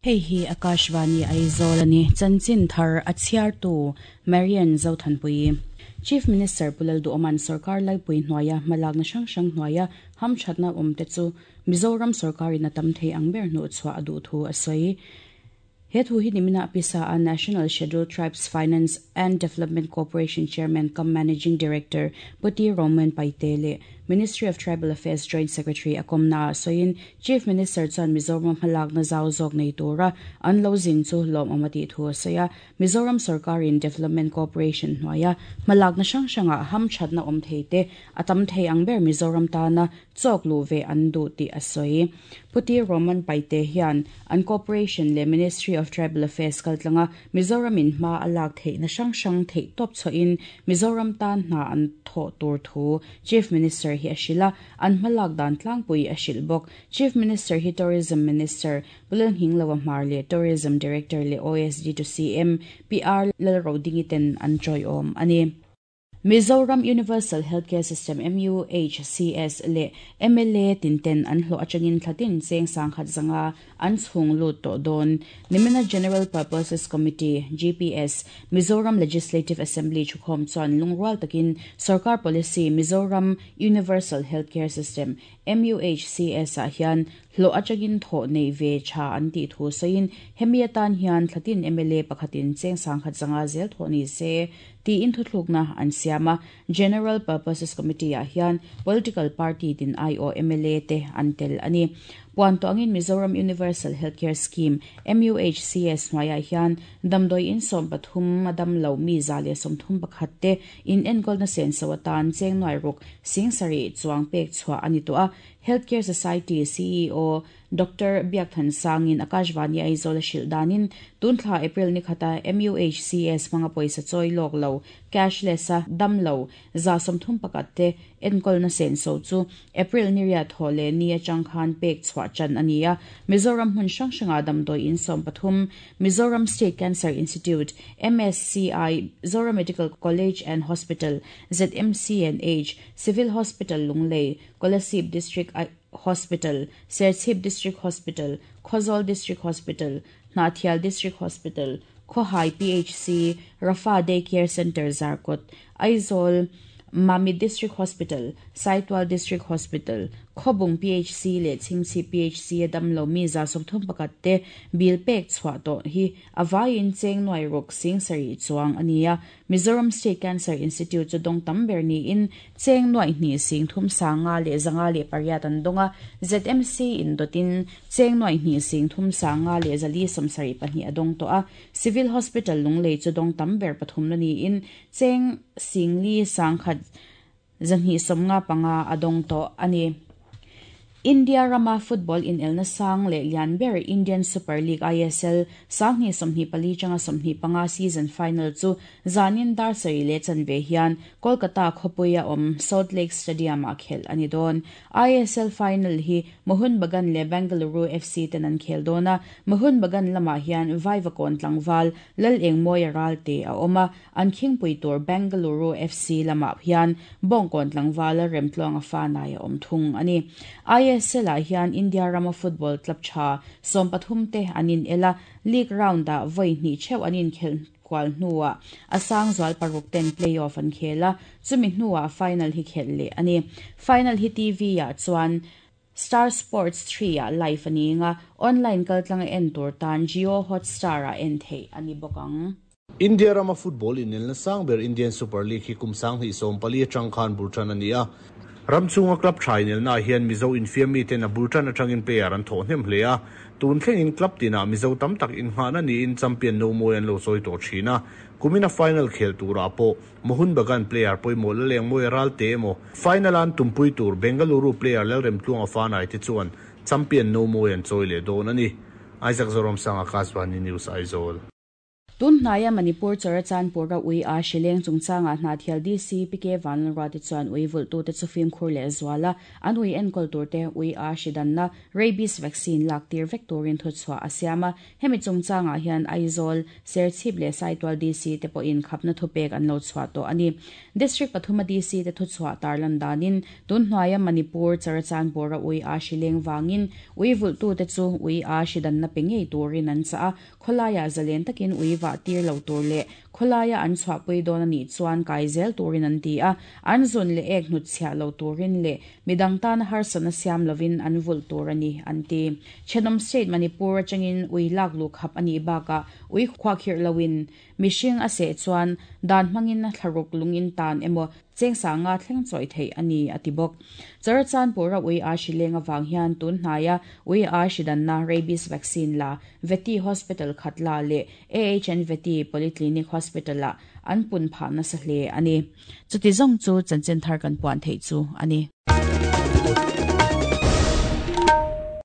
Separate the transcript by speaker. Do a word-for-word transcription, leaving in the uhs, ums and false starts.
Speaker 1: Hei hi Akashvani Aizawl ani chanchin thar a chhiartu Marian Zothanpui. Chief Minister Pu Lalduhoma'n Sorkar laipui hnuaia hmalakna hrang hrang hnuaia hamthatna awm te chu Mizoram sorkarin a tam thei ang ber hnuh chhuah a duh thu a sawi. He thu hi nimina pisa a National Scheduled Tribes Finance and Development Corporation Chairman cum Managing Director Puti Roman Paite le Ministry of Tribal Affairs Joint Secretary akomna soin Chief Minister chuan Mizoram hmalakna zau zawk nei tura an lo zin chu lawm amati thu a sawi a. Mizoram Sarkarin Development Corporation hnuaia hmalakna hrang hranga hamthatna awm thei te a tam thei ang ber Mizoram tana chawk lu ve an duh tih a sawi. Puti Roman Paite hian an Corporation le Ministry of Tribal Affairs kaltlanga Mizoram in hma a lak theihna hrang hrang theih tawp chhoin Mizoram tan hna an thaw tur thu Chief Minister hi a hrila an hmalak dan tlangpui a hril bawk. Chief Minister hi Tourism Minister Pu Lalnghingloa Hmar le Tourism Director le O S D to C M P R Lalrodingi ten an tawiawm ani. Mizoram Universal Healthcare System M U H C S le M L A tinten an hlo atangin thlatin cheng sangkhat zanga an chhung lut to don. Nimina General Purposes Committee G P S Mizoram Legislative Assembly chukhom chuan lungrual takin Sarkar Policy Mizoram Universal Healthcare System M U H C S a hian hlo atangin tho nei ve cha an ti thu soin hemi atan hian thlatin M L A pakhatin cheng sangkhat zanga zel tho ni se ti in thuthlukna an siama. General Purposes Committee a hian political party tin I O M L A te an tel ani. Puan to angin Mizoram Universal Healthcare Scheme M U H C S hnuaiah hian damdawi in sawm pathum a dam lo mi za le sawmthum pakhat te in enkawlna sen so atan cheng nuai ruk sing sarih chuang pek chhuah ani to a. Healthcare Society C E O Doctor Biakthan Sangin Akashvani Aizawl a hrilh danin tunthla April ni khata M U H C S hmanga pawisa chawi lawk lo cashless a dam lo za sawmthum pakhat te enkawlna sen so chu April ni riat thaw le ni atang khan pek chhuah chan ani a. Mizoram hmun hrang hranga damdawi in sawm pathum, Mizoram State Cancer Institute M S C I, Zoram Medical College and Hospital Z M C and H, Civil Hospital Lunglei, Kolasib District Hospital, Serchhip District Hospital, Khawzawl District Hospital, Hnahthial District Hospital, Khawhai P H C, Rafa Day Care Center Zarkawt, Aizawl Mamit District Hospital, Saitual District Hospital, Khawbung P H C le Chhingchhip P H C a dam lo mi za sawmthum pakhat te bill pek chhuah tawh hi awaiin cheng nuai ruk sing sarih chuang ani a. Mizoram State Cancer Institute chu dawng tam ber niin cheng nuai hnih sing thum sanga le zanga le pariat an dawnga. Z M C in dotin cheng nuai hnih sing thum sanga le zali sawmsarih pahnih a dawng tawh a. Civil Hospital Lunglei chu dawng tam ber pathum na niin cheng singli sangkhat zanhnih sawmnga panga a dawng tawh ani. India rama football in elna sang le lian ber Indian Super League I S L sanghnih sawmhnih pali changa sawmhnih panga season final chu zanin dar sarih le chanve hian Kolkata khawpuia awm Salt Lake Stadium a khel ani dawn. I S L final hi Mohun Bagan le Bengaluru F C ten an khel dawna. Mohun Bagan lamah hian Vaivakawn tlangval Lalengmawia Ralte a awm a. An khingpui tur Bengaluru F C lamah hian Bawngkawn tlangval Remtluanga Fanai a awm thung ani. I S L ah hian India rama football club tha sawm pathum te an in ela. League round ah vawi hnih theuh an inkhel kual hnuah a sang zual paruk ten playoff an khel a, chumi hnuah final hi khel leh ani. Final hi T V ah chuan Star Sports three ah live ani nga, online kaltlanga en tur tan Jio Hotstar ah en thei ani bawk ang.
Speaker 2: India rama football in elna sang ber Indian Super League hi kum sang hnih sawm pali atang khan bultan ani a. Ramchunga club thainel na hian Mizo infiam mi ten a bultan atangin player an thaw hnem hle a. Tun thlengin club tina Mizo tam tak in hngahna ni in champion no mawi an lo chawi tawh thin a. Kumina final khel tura pawh Mohun Bagan player pawimawh Lalengmawia Ralte emaw final an tumpui tur Bengaluru player Lalremtluanga Fanai te chuan champion no mawi an chawi leh dawn ani. Isaac Zoram Sang, Akashvani News, Aizawl.
Speaker 1: Tun hnaia Manipur Churachandpur-a ui a hrileng chungchangah Hnahthial DC PK Vanlalruati chuan ui vulhtute chu fimkhur leh zual a, an ui enkawl turte ui a hri danna rabies vaccine lak tir vek turin thuchhuah a siam a. Hemi chungchangah hian Aizawl, Serchhip leh Saitual DC te pawhin khapna thupek an lo chhuah tawh a ni. District pathuma DC te thuchhuah tarlan danin tun hnuaia Manipur Churachandpur-a ui a hrileng vangin ui vulhtute chu ui a hri danna pe ngei turin an chah a, khawlaiah zalen takin ui vah tir lo tur leh khawlaia an chhuahpui dawn a nih chuan kai zel turin an ti a, an zun leh ek hnutchhiah lo turin leh midang tana harsatna siam lovin an vulh tur a ni an ti. Thenawm State Manipur atangin ui lak luh khap a nih bakah ui khuahkhirh loin mihring a seh chuan dan hmangin thlaruk lungin tan emaw cheng sanga thleng chawi theih a ni a ti bawk. Churachandpur-a ui a hrileng avang hian tun hnaia ui a hri danna rabies vaccine la Vety Hospital Khatla leh AHN Vety Polyclinic Hospital-ah an pun phah nasa hle a ni. Chuti zawng chu chanchin thar kan puan theih chu a ni.